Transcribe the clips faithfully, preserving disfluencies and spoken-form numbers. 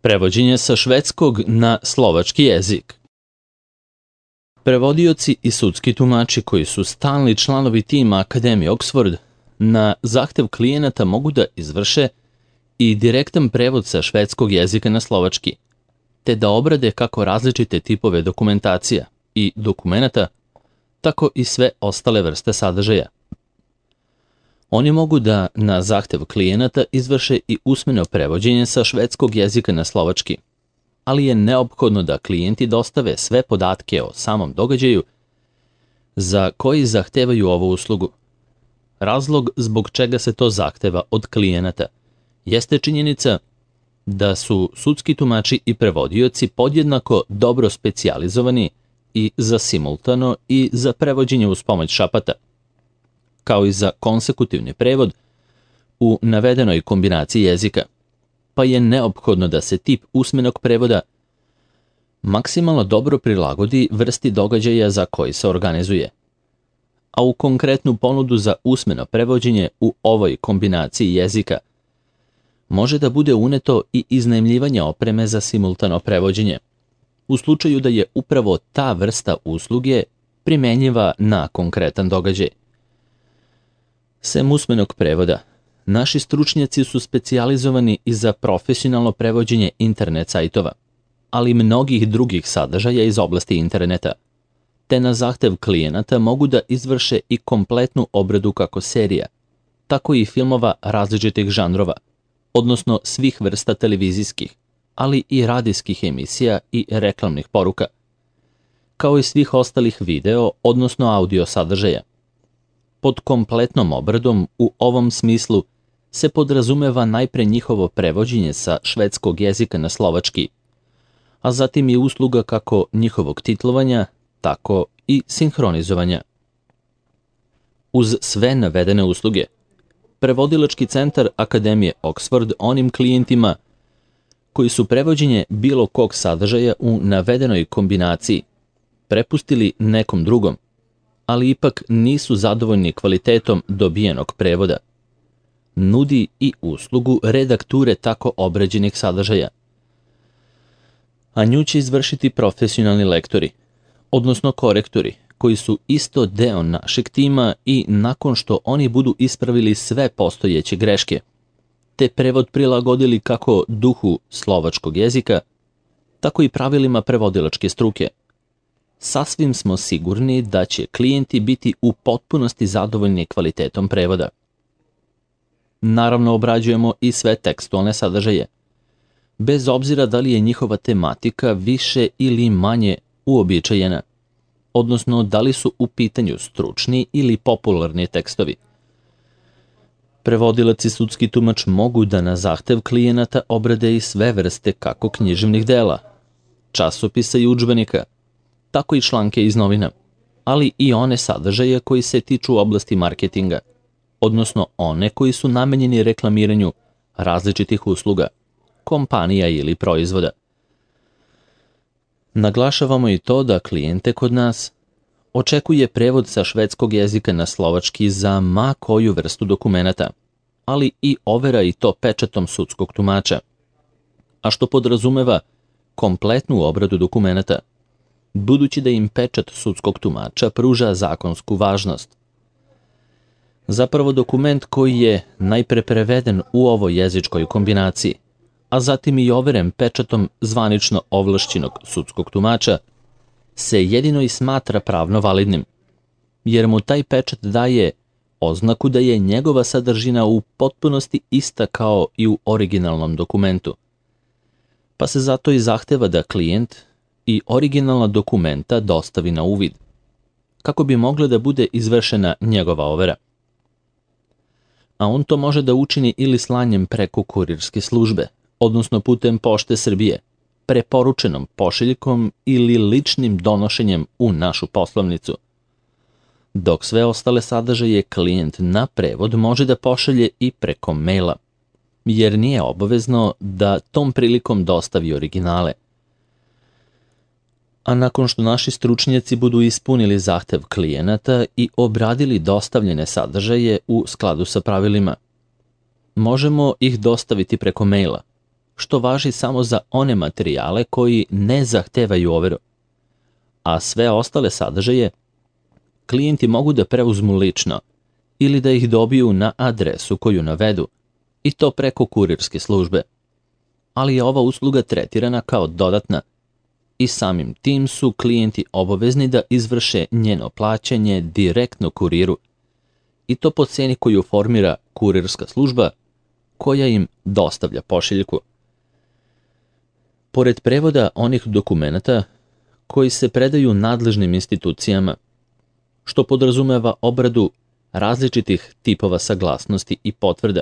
Prevođenje sa švedskog na slovački jezik. Prevodioci i sudski tumači koji su stalni članovi tima Akademije Oxford na zahtev klijenata mogu da izvrše i direktan prevod sa švedskog jezika na slovački, te da obrade kako različite tipove dokumentacija i dokumenata, tako i sve ostale vrste sadržaja. Oni mogu da na zahtev klijenata izvrše i usmeno prevođenje sa švedskog jezika na slovački, ali je neophodno da klijenti dostave sve podatke o samom događaju za koji zahtevaju ovu uslugu. Razlog zbog čega se to zahteva od klijenata jeste činjenica da su sudski tumači i prevodioci podjednako dobro specijalizovani i za simultano i za prevođenje uz pomoć šapata, kao i za konsekutivni prevod u navedenoj kombinaciji jezika, pa je neophodno da se tip usmenog prevoda maksimalno dobro prilagodi vrsti događaja za koji se organizuje. A u konkretnu ponudu za usmeno prevođenje u ovoj kombinaciji jezika može da bude uneto i iznajmljivanje opreme za simultano prevođenje, u slučaju da je upravo ta vrsta usluge primenjiva na konkretan događaj. Sem usmenog prevoda, naši stručnjaci su specijalizovani i za profesionalno prevođenje internet sajtova, ali i mnogih drugih sadržaja iz oblasti interneta, te na zahtev klijenata mogu da izvrše i kompletnu obradu kako serija, tako i filmova različitih žanrova, odnosno svih vrsta televizijskih, ali i radijskih emisija i reklamnih poruka, kao i svih ostalih video, odnosno audio sadržaja. Pod kompletnom obradom u ovom smislu se podrazumeva najpre njihovo prevođenje sa švedskog jezika na slovački, a zatim i usluga kako njihovog titlovanja, tako i sinhronizovanja. Uz sve navedene usluge, prevodilački centar Akademije Oxford onim klijentima koji su prevođenje bilo kog sadržaja u navedenoj kombinaciji prepustili nekom drugom, ali ipak nisu zadovoljni kvalitetom dobijenog prevoda, nudi i uslugu redakture tako obrađenih sadržaja. A nju će izvršiti profesionalni lektori, odnosno korektori, koji su isto deo našeg tima i nakon što oni budu ispravili sve postojeće greške, te prevod prilagodili kako duhu slovačkog jezika, tako i pravilima prevodilačke struke, sasvim smo sigurni da će klijenti biti u potpunosti zadovoljni kvalitetom prevoda. Naravno, obrađujemo i sve tekstualne sadržaje, bez obzira da li je njihova tematika više ili manje uobičajena, odnosno da li su u pitanju stručni ili popularni tekstovi. Prevodilac i sudski tumač mogu da na zahtev klijenata obrade i sve vrste kako književnih dela, časopisa i udžbenika, tako i članke iz novina, ali i one sadržaje koji se tiču oblasti marketinga, odnosno one koji su namenjeni reklamiranju različitih usluga, kompanija ili proizvoda. Naglašavamo i to da klijente kod nas očekuje prevod sa švedskog jezika na slovački za ma koju vrstu dokumenata, ali i overa i to pečatom sudskog tumača, a što podrazumeva kompletnu obradu dokumenata, budući da im pečat sudskog tumača pruža zakonsku važnost. Zapravo dokument koji je najpre preveden u ovoj jezičkoj kombinaciji, a zatim i overen pečatom zvanično ovlašćenog sudskog tumača, se jedino i smatra pravno validnim, jer mu taj pečat daje oznaku da je njegova sadržina u potpunosti ista kao i u originalnom dokumentu, pa se zato i zahteva da klijent i originalna dokumenta dostavi na uvid, kako bi mogla da bude izvršena njegova overa. A on to može da učini ili slanjem preko kurirske službe, odnosno putem Pošte Srbije, preporučenom pošiljkom ili ličnim donošenjem u našu poslovnicu, dok sve ostale sadržaje klijent na prevod može da pošalje i preko maila, jer nije obavezno da tom prilikom dostavi originale. A nakon što naši stručnjaci budu ispunili zahtev klijenata i obradili dostavljene sadržaje u skladu sa pravilima, možemo ih dostaviti preko maila, što važi samo za one materijale koji ne zahtevaju overu, a sve ostale sadržaje klijenti mogu da preuzmu lično ili da ih dobiju na adresu koju navedu, i to preko kurirske službe. Ali je ova usluga tretirana kao dodatna i samim tim su klijenti obavezni da izvrše njeno plaćanje direktno kuriru, i to po ceni koju formira kurirska služba koja im dostavlja pošiljku. Pored prevoda onih dokumenata koji se predaju nadležnim institucijama, što podrazumeva obradu različitih tipova saglasnosti i potvrda,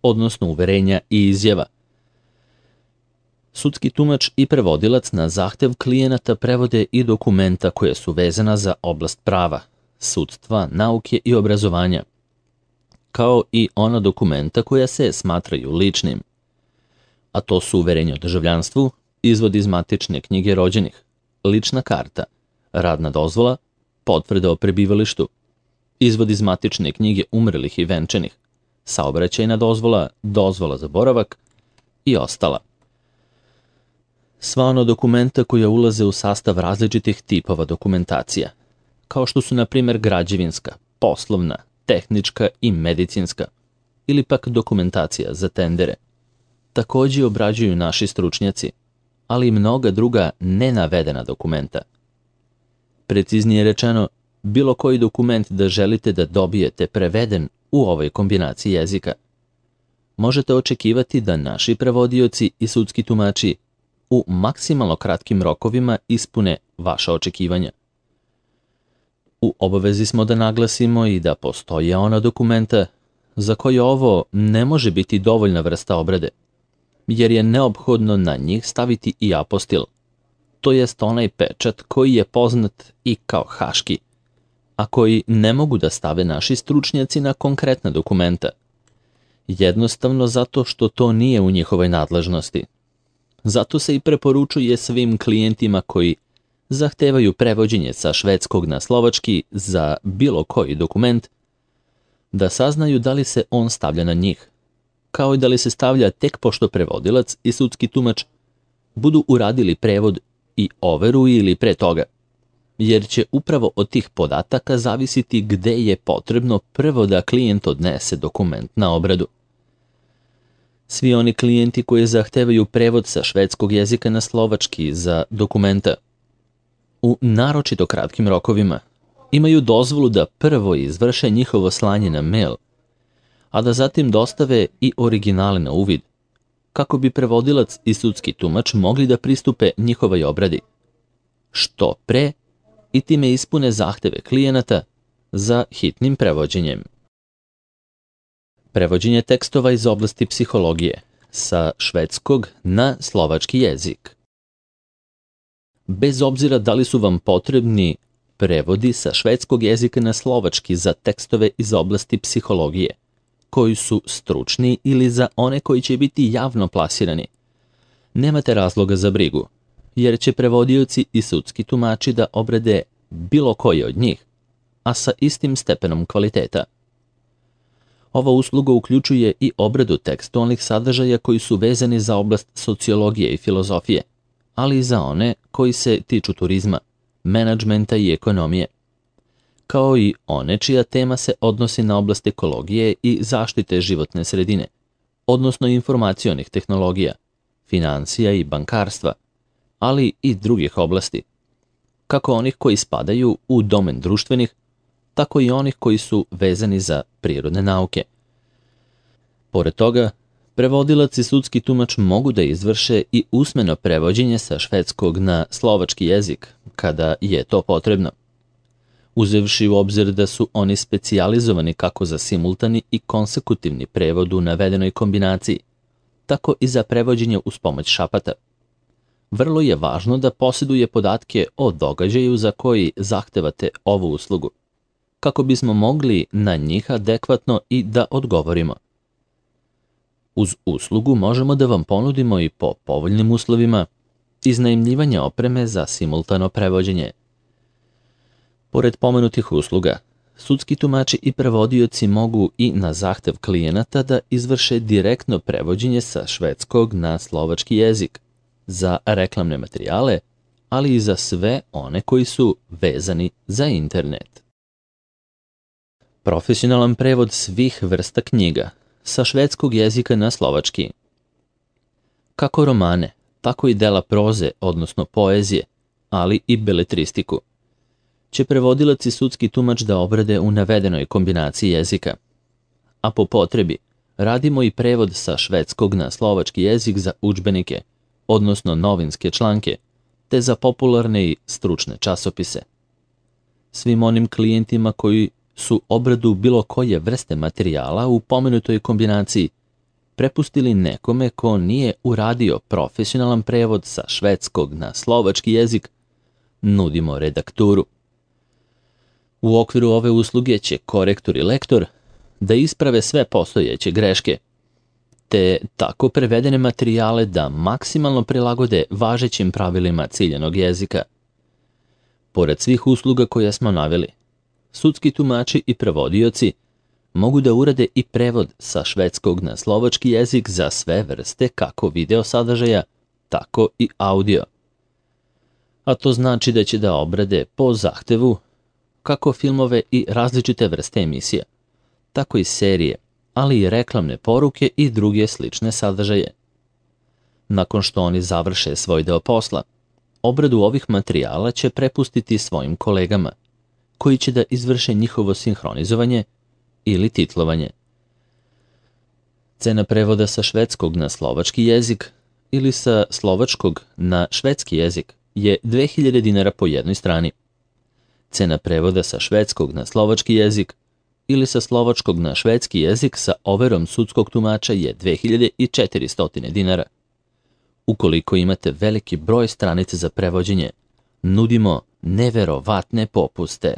odnosno uverenja i izjava, sudski tumač i prevodilac na zahtev klijenata prevode i dokumenta koje su vezana za oblast prava, sudstva, nauke i obrazovanja, kao i ona dokumenta koja se smatraju ličnim, a to su uverenje o državljanstvu, izvod iz matične knjige rođenih, lična karta, radna dozvola, potvrda o prebivalištu, izvod iz matične knjige umrlih i venčanih, saobraćajna dozvola, dozvola za boravak i ostala. Sva ona dokumenta koja ulaze u sastav različitih tipova dokumentacija, kao što su na primjer građevinska, poslovna, tehnička i medicinska, ili pak dokumentacija za tendere, također obrađuju naši stručnjaci, ali i mnoga druga nenavedena dokumenta. Preciznije rečeno, bilo koji dokument da želite da dobijete preveden u ovoj kombinaciji jezika, možete očekivati da naši prevodioci i sudski tumači u maksimalno kratkim rokovima ispune vaša očekivanja. U obavezi smo da naglasimo i da postoje ona dokumenta za koje ovo ne može biti dovoljna vrsta obrade, jer je neophodno na njih staviti i apostil, to jest onaj pečat koji je poznat i kao haški, a koji ne mogu da stave naši stručnjaci na konkretna dokumenta, jednostavno zato što to nije u njihovoj nadležnosti. Zato se i preporučuje svim klijentima koji zahtevaju prevođenje sa švedskog na slovački za bilo koji dokument, da saznaju da li se on stavlja na njih, kao i da li se stavlja tek pošto prevodilac i sudski tumač budu uradili prevod i overu ili pre toga, jer će upravo od tih podataka zavisiti gde je potrebno prvo da klijent odnese dokument na obradu. Svi oni klijenti koji zahtevaju prevod sa švedskog jezika na slovački za dokumenta u naročito kratkim rokovima imaju dozvolu da prvo izvrše njihovo slanje na mail, a da zatim dostave i originale na uvid, kako bi prevodilac i sudski tumač mogli da pristupe njihovoj obradi što pre i time ispune zahteve klijenata za hitnim prevođenjem. Prevođenje tekstova iz oblasti psihologije sa švedskog na slovački jezik. Bez obzira da li su vam potrebni prevodi sa švedskog jezika na slovački za tekstove iz oblasti psihologije, koji su stručni ili za one koji će biti javno plasirani, nemate razloga za brigu, jer će prevodioci i sudski tumači da obrade bilo koji od njih, a sa istim stepenom kvaliteta. Ova usluga uključuje i obradu tekstualnih sadržaja koji su vezani za oblast sociologije i filozofije, ali i za one koji se tiču turizma, menadžmenta i ekonomije, kao i one čija tema se odnosi na oblast ekologije i zaštite životne sredine, odnosno informacionih tehnologija, financija i bankarstva, ali i drugih oblasti, kako onih koji spadaju u domen društvenih, tako i onih koji su vezani za prirodne nauke. Pored toga, prevodilac i sudski tumač mogu da izvrše i usmeno prevođenje sa švedskog na slovački jezik, kada je to potrebno, uzevši u obzir da su oni specijalizovani kako za simultani i konsekutivni prevod u navedenoj kombinaciji, tako i za prevođenje uz pomoć šapata. Vrlo je važno da posjeduje podatke o događaju za koji zahtevate ovu uslugu, kako bismo mogli na njih adekvatno i da odgovorimo. Uz uslugu možemo da vam ponudimo i po povoljnim uslovima iznajmljivanje opreme za simultano prevođenje. Pored pomenutih usluga, Sudski tumači i prevodioci mogu i na zahtev klijenata da izvrše direktno prevođenje sa švedskog na slovački jezik za reklamne materijale, ali i za sve one koji su vezani za internet. Profesionalan prevod svih vrsta knjiga sa švedskog jezika na slovački. Kako romane, tako i dela proze, odnosno poezije, ali i beletristiku, će prevodilac i sudski tumač da obrade u navedenoj kombinaciji jezika. A po potrebi radimo i prevod sa švedskog na slovački jezik za udžbenike, odnosno novinske članke, te za popularne i stručne časopise. Svim onim klijentima koji su obradu bilo koje vrste materijala u pomenutoj kombinaciji prepustili nekome ko nije uradio profesionalan prevod sa švedskog na slovački jezik, nudimo redakturu. U okviru ove usluge će korektor i lektor da isprave sve postojeće greške, te tako prevedene materijale da maksimalno prilagode važećim pravilima ciljanog jezika. Pored svih usluga koje smo naveli, sudski tumači i prevodioci mogu da urade i prevod sa švedskog na slovački jezik za sve vrste kako video sadržaja, tako i audio. A to znači da će da obrade po zahtevu kako filmove i različite vrste emisija, tako i serije, ali i reklamne poruke i druge slične sadržaje. Nakon što oni završe svoj deo posla, obradu ovih materijala će prepustiti svojim kolegama, koji će da izvrše njihovo sinhronizovanje ili titlovanje. Cena prevoda sa švedskog na slovački jezik ili sa slovačkog na švedski jezik je dve hiljade dinara po jednoj strani. Cena prevoda sa švedskog na slovački jezik ili sa slovačkog na švedski jezik sa overom sudskog tumača je dve hiljade četiristo dinara. Ukoliko imate veliki broj stranica za prevođenje, nudimo neverovatne popuste.